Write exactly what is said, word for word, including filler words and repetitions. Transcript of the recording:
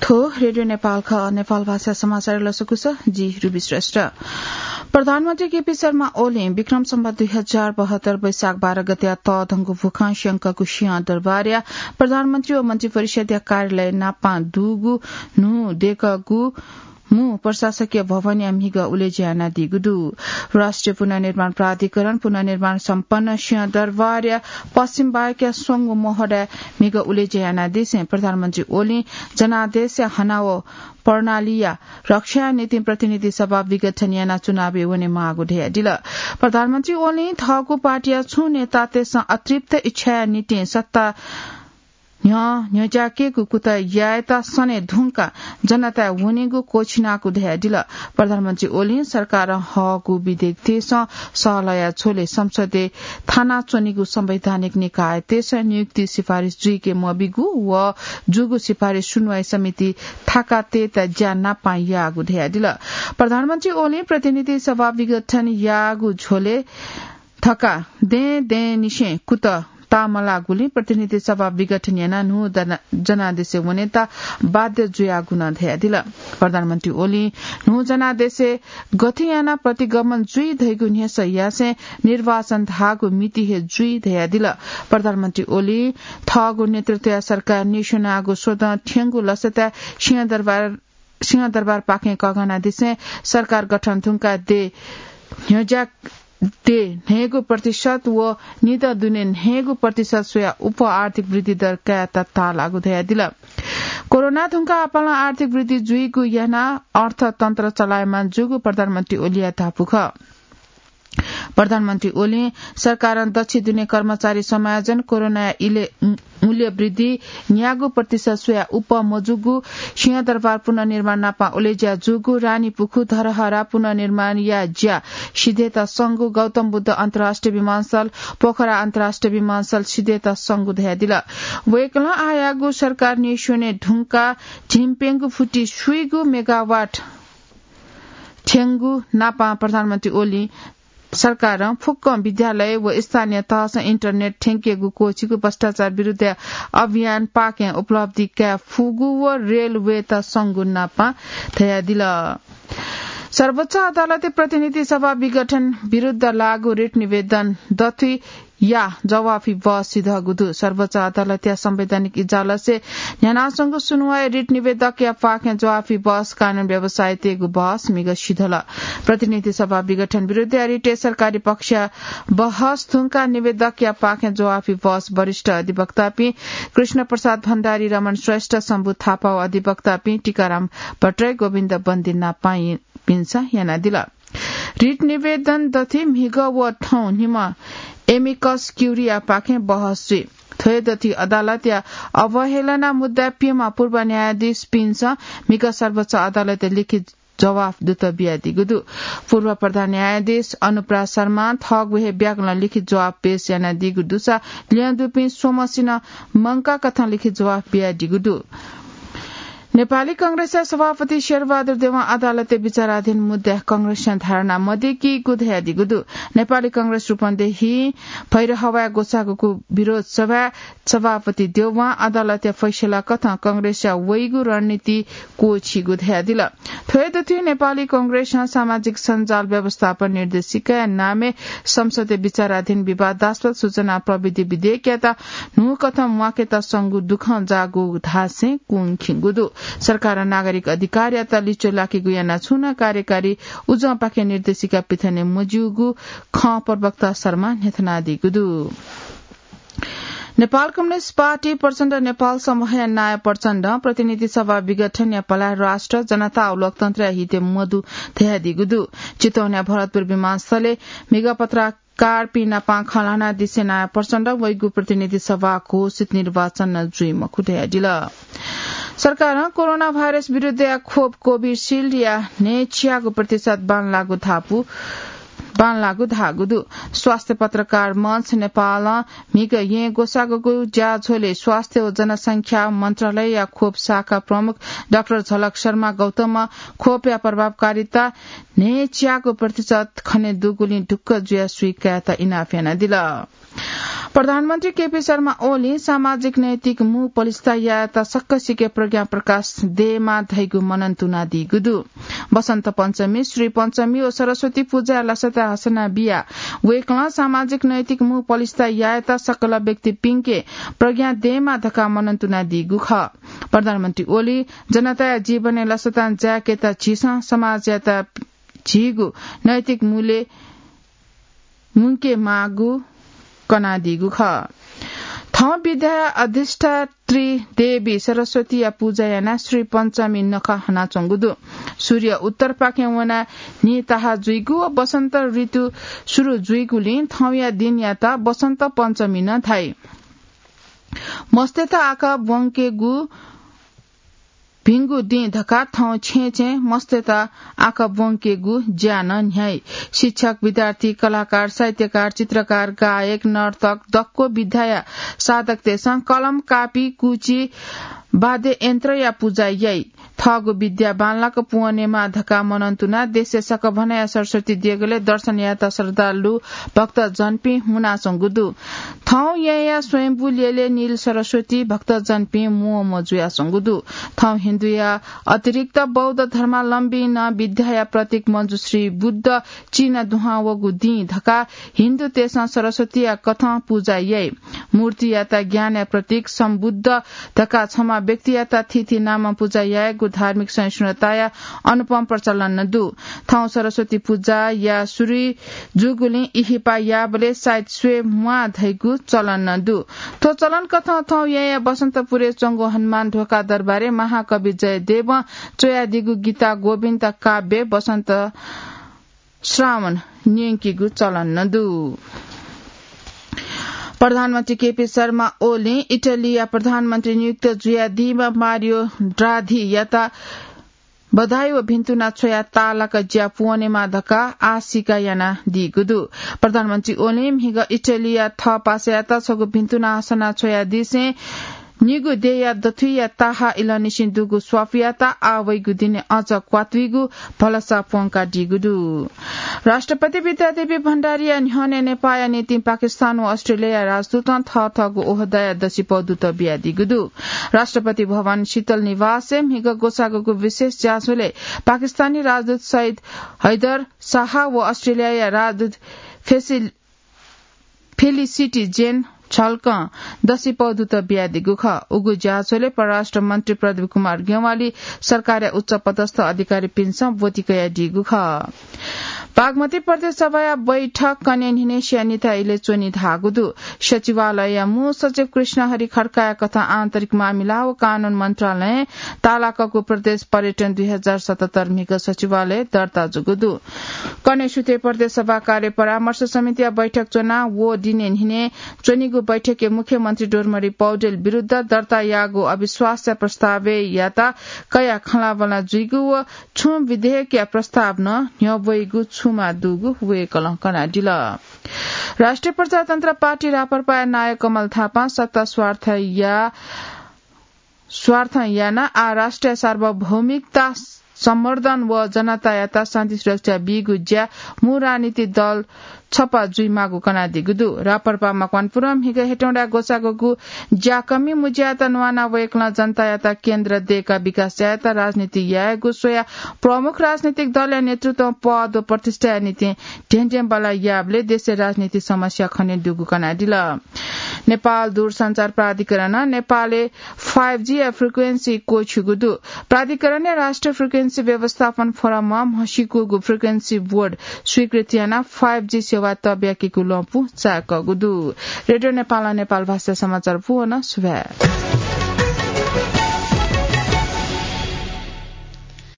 थ्व रेडियो नेपाल खः। नेपाल भाषा समाचार लसकुस, जि रुबी श्रेष्ठ। प्रधानमन्त्री केपी शर्मा ओलीं विक्रम सम्वत दुई हजार बहत्तर वैशाख बाह्र गते तःधंगु भुखां स्यंकःगु सिंहदरबारया प्रधानमन्त्री व मन्त्री परिषदया कार्यालय नापां दुगु न्हू दय्कःगु मू प्रशासकीय भवनया म्हिगः उलेज्या यानादीगु दु। राष्ट्रिय पुनर्निर्माण प्राधिकरण पुनर्निर्माण सम्पन्न सिंहदरबारया पश्चिम बायकया स्वंगू मोहडाय् म्हिगः उलेज्या यानादिसें प्रधानमन्त्री ओलीं जनादेशया हना व प्रणालीया रक्षाया निंतिं प्रतिनिधि सभा विघटन यानाः चुनावय् वनेमाःगु धयादिल। प्रधानमन्त्री ओलीं थःगु पार्टीया छुं नेतातय्सं अतृप्त इच्छाया निंतिं सत्ता न्ह्यः न्ह्यज्याकेगु कुतः यायेत सने धुंकाः जनताय् वनेगु क्वःछिनागु धयादिल। प्रधानमन्त्री ओलीं सरकारं हःगु विधेयकतय्सं सहलहया झ्वलय् संसदय् थानाच्वनीगु संवैधानिक निकायतय्सं नियुक्ति सिफारिस जुइके मबीगु व जूगु सिफारिस सुनुवाइ समिति थाकातय्त ज्या नापां याःगु धयादिल। प्रधानमन्त्री ओलीं प्रतिनिधि सभा विघटन याःगु झ्वलय् धकाः दँय् दँय्निसें कुतः ताःमलाःगुलिं प्रतिनिधि सभा विघटन यानाः न्हू जना-, जनादेशय् वनेत बाध्य जुयागु नं धयादिल। प्रधानमन्त्री ओलीं न्हू जनादेशय् गथे यानाः प्रतिगमन जुइ धइगु न्ह्यसः यासें निर्वाचन धाःगु मिति हे जुइ धयादिल। प्रधानमन्त्री ओलीं थःगु नेतृत्वया सरकार न्ह्यसः यानागु स्वदँ थ्यंगु लसताय् सिंहदरबार सिंहदरबारपाखें कःघानादिसें सरकार गठन धुंकाः देय् न्ह्यज्या देय् न्हय्गू प्रतिशत व निदँ दुने न्हय्गू प्रतिशत स्वयाः उप आर्थिक वृद्धि दर कायेत ताःलाःगु धयादिल। कोरोना धुंकाः आपालं आर्थिक वृद्धि जुइगु यानाः अर्थतन्त्र चलायमान जूगु प्रधानमन्त्री ओलीया धापू खः। प्रधानमन्त्री ओलीं सरकारं दच्छि दुने कर्मचारी समायोजन, कोरोनाया इले मूल्य वृद्धि, न्यागू प्रतिशत स्वयाः उप मजूगु, सिंहदरबार पुनर्निर्माण नापं उलेज्या जूगु, रानीपुखु धरहरा पुनर्निर्माणया ज्या सिधयेत संगु, गौतम बुद्ध अन्तर्राष्ट्रिय विमानस्थल, पोखरा अन्तर्राष्ट्रिय विमानस्थल सिधयेत संगु धयादिल। वय्कलं आःयागु सरकार न्ह्यसः वने धुंकाः झिंप्यंगू फुति स्वीगू मेगावाट थ्यंगु नापं प्रधानमन्त्री ओलीं सरकारं फुक्कं विद्यालय व स्थानीय तहसं इन्टरनेट थ्यंकेगु क्वःछिगु, भ्रष्टाचार विरुद्धया अभियान पाखें उपलब्धि काये फुगु व रेलवेत संगु नापं धयादिल। सर्वोच्च अदालतय् प्रतिनिधि सभा विघटन विरुद्ध लागू रिट निवेदन दथुइ या जवाफी बहस सिधःगु दु। सर्वोच्च अदालतया संवैधानिक इजलासय् न्ह्यानाच्वंगु सुनुवाइ रिट निवेदकया पाखें जवाफी बहस कानून व्यवसायीतय्गु बहस म्हिगः सिधल। प्रतिनिधि सभा विघटन विरुद्धया रिटय् सरकारी पक्षया बहस धुंकाः निवेदकया पाखें जवाफी बहस वरिष्ठ अधिवक्तापिं कृष्ण प्रसाद भण्डारी, रमण श्रेष्ठ, शम्भु थापा व अधिवक्तापिं टीकाराम भट्टराई, गोविन्द बन्दी नापां पिन्सं यानादिल। रिट निवेदन दथुइ म्हिगः व थौं निम्ह एमिकस क्युरीया पाखें बहस जुइ। थ्व हे दथुइ अदालतया अवहेलना मुद्दाय् प्यम्ह पूर्व न्यायाधीशपिन्सं म्हिगः सर्वोच्च अदालतय् लिखित जवाफ दुत बियादीगु दु। पूर्व प्रधान न्यायाधीश अनुप्रा शर्मां थःगु हे ब्याकलं लिखित जवाफ पेश यानादीगु दुसा ल्यं दुपिं स्वम्हसिनं मंकाःकथं लिखित जवाफ बियादीगु दु। नेपाली कंग्रेसया सभापति शेरबहादुर देवां अदालतय् विचाराधीन मुद्दाय् कंग्रेसं धारणा मदय्कीगु धयादीगु दु। नेपाली कंग्रेस रूपन्देही भैरहवाय् ग्वसाःगु विरोध सभाय् सभापति देवां अदालतया फैसला कथं कंग्रेसया वइगु रणनीति क्वःछिइगु धयादिल। थ्व हे दथुइ नेपाली कंग्रेसं सामाजिक सञ्जाल व्यवस्थापन निर्देशिकाया नामय् संसदय् विचाराधीन विवादास्पद सूचना प्रविधि विधेयकयात न्हूकथं म्वाकेत संगु दुःखं जाःगु धासें कुंखिंगु दु। सरकारं नागरिक अधिकारयात लिच्वः लाकेगु यानाः छुं नं कार्यकारी उजंपाखें निर्देशिका पिथने मज्यूगु खँ प्रवक्ता शर्मां न्ह्यथनादीगु दु। नेपाल कम्युनिस्ट पार्टी प्रचण्ड नेपाल समूहया नायः प्रचण्डं प्रतिनिधि सभा विघटनया पलाः राष्ट्र, जनता व लोकतन्त्रया हितय् मदु धयादीगु दु। चितवनया भरतपुर विमानस्थलय् म्हिगः पत्रकारपिं नाप खँ ल्हानादिसें नायः प्रचण्डं वइगु प्रतिनिधि सभा घोषित निर्वाचन नं जुइ मखु धयादिल। सरकारं कोरोना भाइरस विरुद्धया खोप कोभिसिल्डया न्हय्च्यागू प्रतिशत बांलाःगु धापू बांलाःगु धाःगु दु। स्वास्थ्य पत्रकार मञ्च नेपालं म्हिगः येँ ग्वसाःगु ज्याझ्वलय् स्वास्थ्य व जनसंख्या मन्त्रालयया खोप शाखा प्रमुख डाक्टर झलक शर्मा गौतमं खोपया प्रभावकारिता न्हय्च्यागू प्रतिशत खने दुगुलिं ढुक्क जुयाः सुइकायेत इनाप यानादिल। प्रधानमन्त्री केपी शर्मा ओलीं सामाजिक नैतिक मू पलिस्था यायेत सक्कसिके प्रज्ञा प्रकाश देमा धइगु मनन तुनादीगु दु। बसन्त पञ्चमी, श्री पञ्चमी व सरस्वती पूजाया लसता हसना बिया वय्कलं सामाजिक नैतिक मू पलिस्था यायेत सकल व्यक्तिपिंके प्रज्ञा देमा धकाः मनन तुनादीगु खः। प्रधानमन्त्री ओली जनताया जीवनय् लसतां जाय्केत झीसं समाजयात झीगु नैतिक मूल्य मुंके माःगु कनादीगु खः। थौं विद्याया अधिष्ठात्री देवी सरस्वतीया पूजा यानाः श्री पञ्चमी नखः हनाच्वंगु दु। सूर्य उत्तरपाखें वनाः न्हि ताहा जुइगु व बसन्त ऋतु सुरु जुइगुलिं थौंया दिनयात बसन्त पञ्चमी नं धाइ। मस्तय्त आकाः ब्वंकेगु भिंगु दिं धकाः थौं छेँय् छेँय् मस्तय्त आकाः ब्वंकेगु ज्या नं न्ह्याइ। शिक्षक, विद्यार्थी, कलाकार, साहित्यकार, चित्रकार, गायक, नर्तक, दक्व विद्याया साधकतय्सं कलम, कापी, कुची, वाद्य यन्त्रया पूजा याइ। थःगु विद्या बांलाक पुवनेमा धकाः मनन तुनाः देशय् सकभनया सरस्वती देगलय् दर्शन यायेत श्रद्धालु भक्तजनपिं हुनाच्वंगु दु। थौं येँया स्वयम्भू ल्यलय् नील सरस्वती भक्तजनपिं म्वःम्वः जुयाच्वंगु दु। थौं हिन्दुया अतिरिक्त बौद्ध धर्मावलम्बीं नं विद्याया प्रतीक मञ्जुश्री बुद्ध चिना दुहां वःगु दिं धकाः हिन्दुतय्सं सरस्वतीया कथं पूजा याइ। मूर्तियात ज्ञानया प्रतीक सम्बुद्ध धकाः छम्ह व्यक्तियात थीथी नामं पूजा यायेगु धार्मिक सहिष्णुताया अनुपम प्रचलन नं दु। थौं सरस्वती पूजाया सुरु जूगुलिं इहिपा याःबलय् साइत स्वये म्वाः धइगु चलन नं दु। थ्व चलन कथं थौं येँया बसन्तपुरय् च्वंगु हनुमान ढोका दरबारय् महाकवि जयदेवं च्वयादीगु गीता गोविन्द काव्य बसन्त श्रावण न्यंकीगु चलन नं दु। प्रधानमन्त्री केपी शर्मा ओलीं इटलीया प्रधानमन्त्री नियुक्त जुयादीम्ह मारियो ड्राघीयात बधाई व भिन्तुना छ्वयाः ताःलाक ज्या पुवनेमा धकाः आशिका यानादीगु दु। प्रधानमन्त्री ओलीं म्हिगः इटलीया थःपासायात छगू भिन्तुना हसना छ्वयादिसें निगू देय्या दथुइया ताहा इलंनिसें दुगु स्वापयात आः वइगु दिने अझ क्वातुइगु भलसा प्वंकादीगु दु। राष्ट्रपति विद्यादेवी भण्डारीया न्ह्यःने नेपाःया निंतिं पाकिस्तान व अस्ट्रेलियाया राजदूतं थःथःगु ओहदाया दसिपौ दुत बियादीगु दु। राष्ट्रपति भवन शीतल निवासय् म्हिगः ग्वसाःगुगु विशेष ज्याझ्वलय् पाकिस्तानी राजदूत सैयद हैदर शाह व अस्ट्रेलियाया राजदूत फेसिल-, फेलिसिटी जेन झल्कं दसिपौ दुत बियादीगु खः। उगु ज्याझ्वलय् परराष्ट्र मन्त्री प्रदीप कुमार ज्ञवाली, सरकारया उच्च पदस्थ अधिकारीपिन्सं ब्वति कयादीगु खः। बागमती प्रदेश सभाया बैठक कन्हय् न्हिनय् स्यानिता इलय् च्वनी धाःगु दु। सचिवालयया मू सचिव कृष्णहरि खड्काया कथं आन्तरिक मामिला व कानून मन्त्रालयं ताःलाकःगु प्रदेश पर्यटन दुई हजार सतहत्तर म्हिगः सचिवालयय् दर्ता जूगु दु। कन्हय् सुथय् प्रदेश सभा कार्य परामर्श समितिया बैठक च्वनाः व दिने न्हिनय् च्वनीगु बैठकय् मुख्यमन्त्री डोमरी पौडेल विरुद्ध दर्ता याःगु अविश्वासया प्रस्तावयात कयाः खँल्हाबल्हा जुइगु व छुं विधेयकया प्रस्ताव नं न्ह्यब्वइगु छुमा दुगु वय्कलं कनादिल। राष्ट्रिय प्रजातन्त्र पार्टी राप्रपाया नायः कमल थापां सत्ता स्वार्थया, स्वार्थं यानाः आः राष्ट्रिय सार्वभौमिकता सम्वर्धन व जनतायात शान्ति सुरक्षा बीगु ज्या मू राजनीतिक दल छपा जुइमाःगु कनादीगु दु। राप्रपा मकवानपुरं म्हिगः हेटौँडाय् ग्वसाःगु ज्याकःमि मुज्यायात न्वानाः वय्कलं जनतायात केन्द्र दय्काः विकास यायेत राजनीति यायेगु स्वयाः प्रमुख राजनीतिक दलया नेतृत्वं पद व प्रतिष्ठाया निंतिं ध्येँध्येँबल्लाः याःबलय् देशय् राजनीतिक समस्या खनेदुगु कनादिल। नेपाल दूरसञ्चार प्राधिकरणं नेपालय् five G या frequency क्वःछिउगु दु। प्राधिकरणया राष्ट्रिय frequency व्यवस्थापन फोरमं म्हसीकूगु frequency board स्वीकृत यानाः five G सेवा तःब्याकीगु लँपु चाय्कःगु दु। रेडियो नेपालं नेपाल भाषा समाचार पूवन सुभाय्।